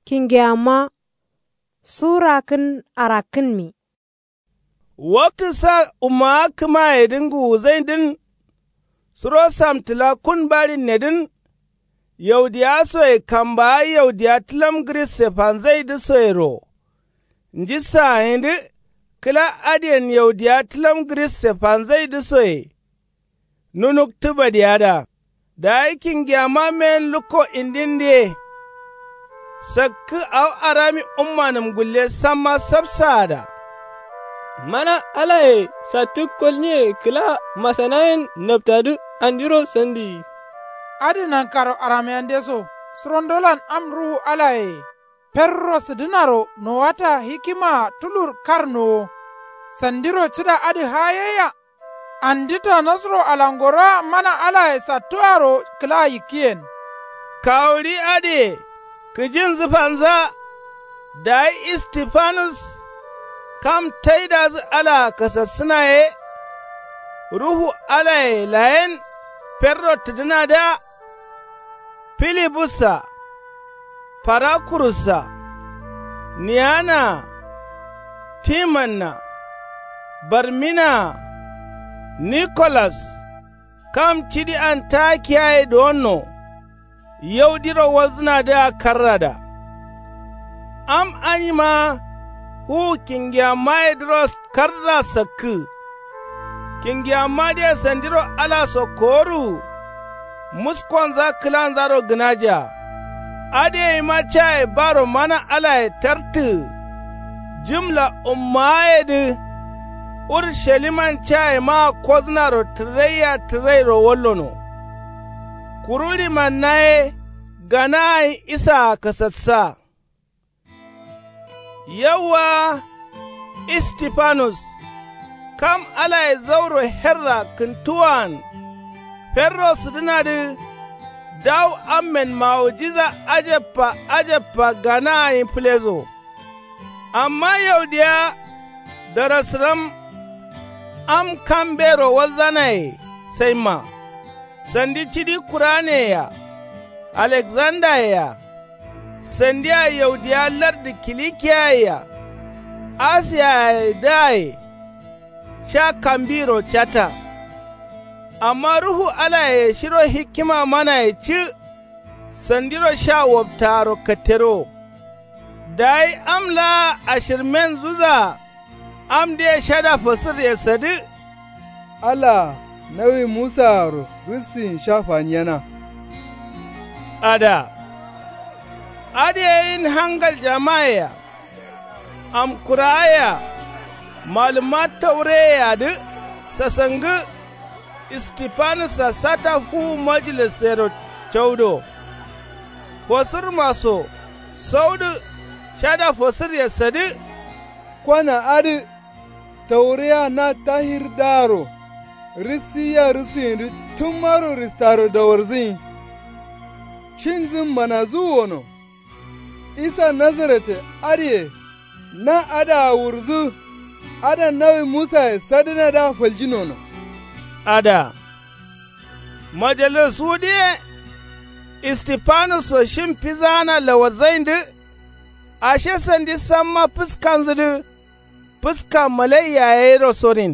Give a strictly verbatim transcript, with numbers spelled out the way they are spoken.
Kingeyamma. Sura kǝn arakkǝnmi. Waktǝ sa ummawa kǝmayedǝ ngǝwuzǝindǝn. Suro samtǝla kun barinnedǝn. Yaudiyawa soye kambawa yaudiya tǝlam gǝris sefanzaidǝ soyero. Nji saayindǝ kǝla adǝyen yaudiya tǝlam gǝris sefanzaidǝ soye. Nunuktǝ badiyada. Dayi kingiyamma meyen lukko indindǝye. Sakkǝ awo arami ummanǝm gulle samma sapsaada. Mana alaye sattǝ kolnyiye kǝla masanayen naptadǝ andiro sandiyi. Adǝ nankaro aramiyandeso surondolan am ruhu alaye. Ferro sǝdǝnaro nowata hikimaa tulur kar nowo. Sandiro cǝda adǝ hayeyya. Andita nasro alangoroa mana alaye sattuaro kǝla yikkiyen. Kawuɍi adǝye kǝjinzǝ fanza. Dayi istifanus kam taidazǝ alaa kasassǝna ye. Ruhu alaye layen ferro tǝdǝnadǝa. Filibussa, farakurussa, niyanaa, timanna, barminaa, nikolas. Kam cidi antakiyaye duwonno. Yaudiro walzǝnadǝa karrada. Am anyima fuwu kingiyammayedǝro karra sakkǝ. Kingiyammadǝye sandiro alaso koworu. Muskonza kǝlanzaro gǝnaja. Adǝ yeima caye baro mana alaye tartǝ. Jǝmla ummawayedǝ. Urusaliman cayemaa kozǝnaro tǝraiya tǝrairo wallono. Kuru limanna ye ganaayin isaa kasassa. Yauwa. Istifanus kam alaye zauro herra kǝntuwaan. Ferro sǝdǝnadǝ. Dawu ammen mawujiza ajabba ajabba ganaayin fǝleso. Amma yaudiya darasǝram. Am kam mbero walzanaye saimma. Sandi cidi kuraneyea. Alekzandayea. Sandia yaudiya lardǝ kilikiyayea. Asiyayedǝaye. Sha kambiro catta. Amma ruhu alaye shiro hikima manaye cǝ. Sandiro sha waptaaro katterowo. Dayi am laa ashirmenzuza. Amdǝye shada fasǝryesadǝ. Alaa nawi musaaro rǝssin sha faniyena. Ada. Adǝ yeyin hangaljamaye-a. Amkurawa ye-a. Malǝmma taureye-adǝ. Sasangǝ. Istifanussa sata fuwu majilisero caudo. Fosurma so. Saudǝ. Shada fosǝryesadǝ. Kwana adǝ. Tauriya na tahir daaro. Rǝssiyya rǝssǝyindǝ tǝmmaro rǝstaro dawarzǝnyi. Cinzǝn manazuwwono. Isa nazarete adǝye. Na adǝa wurzǝ. Ada nawi musaye sadǝnadǝa faljinono. Ada. Majalis wudǝ ye. Istifanusso shim fizaana lawarzaindǝ. Ashe sandi samma fǝskanzǝdǝ. Fǝska malai yayeiro sorin.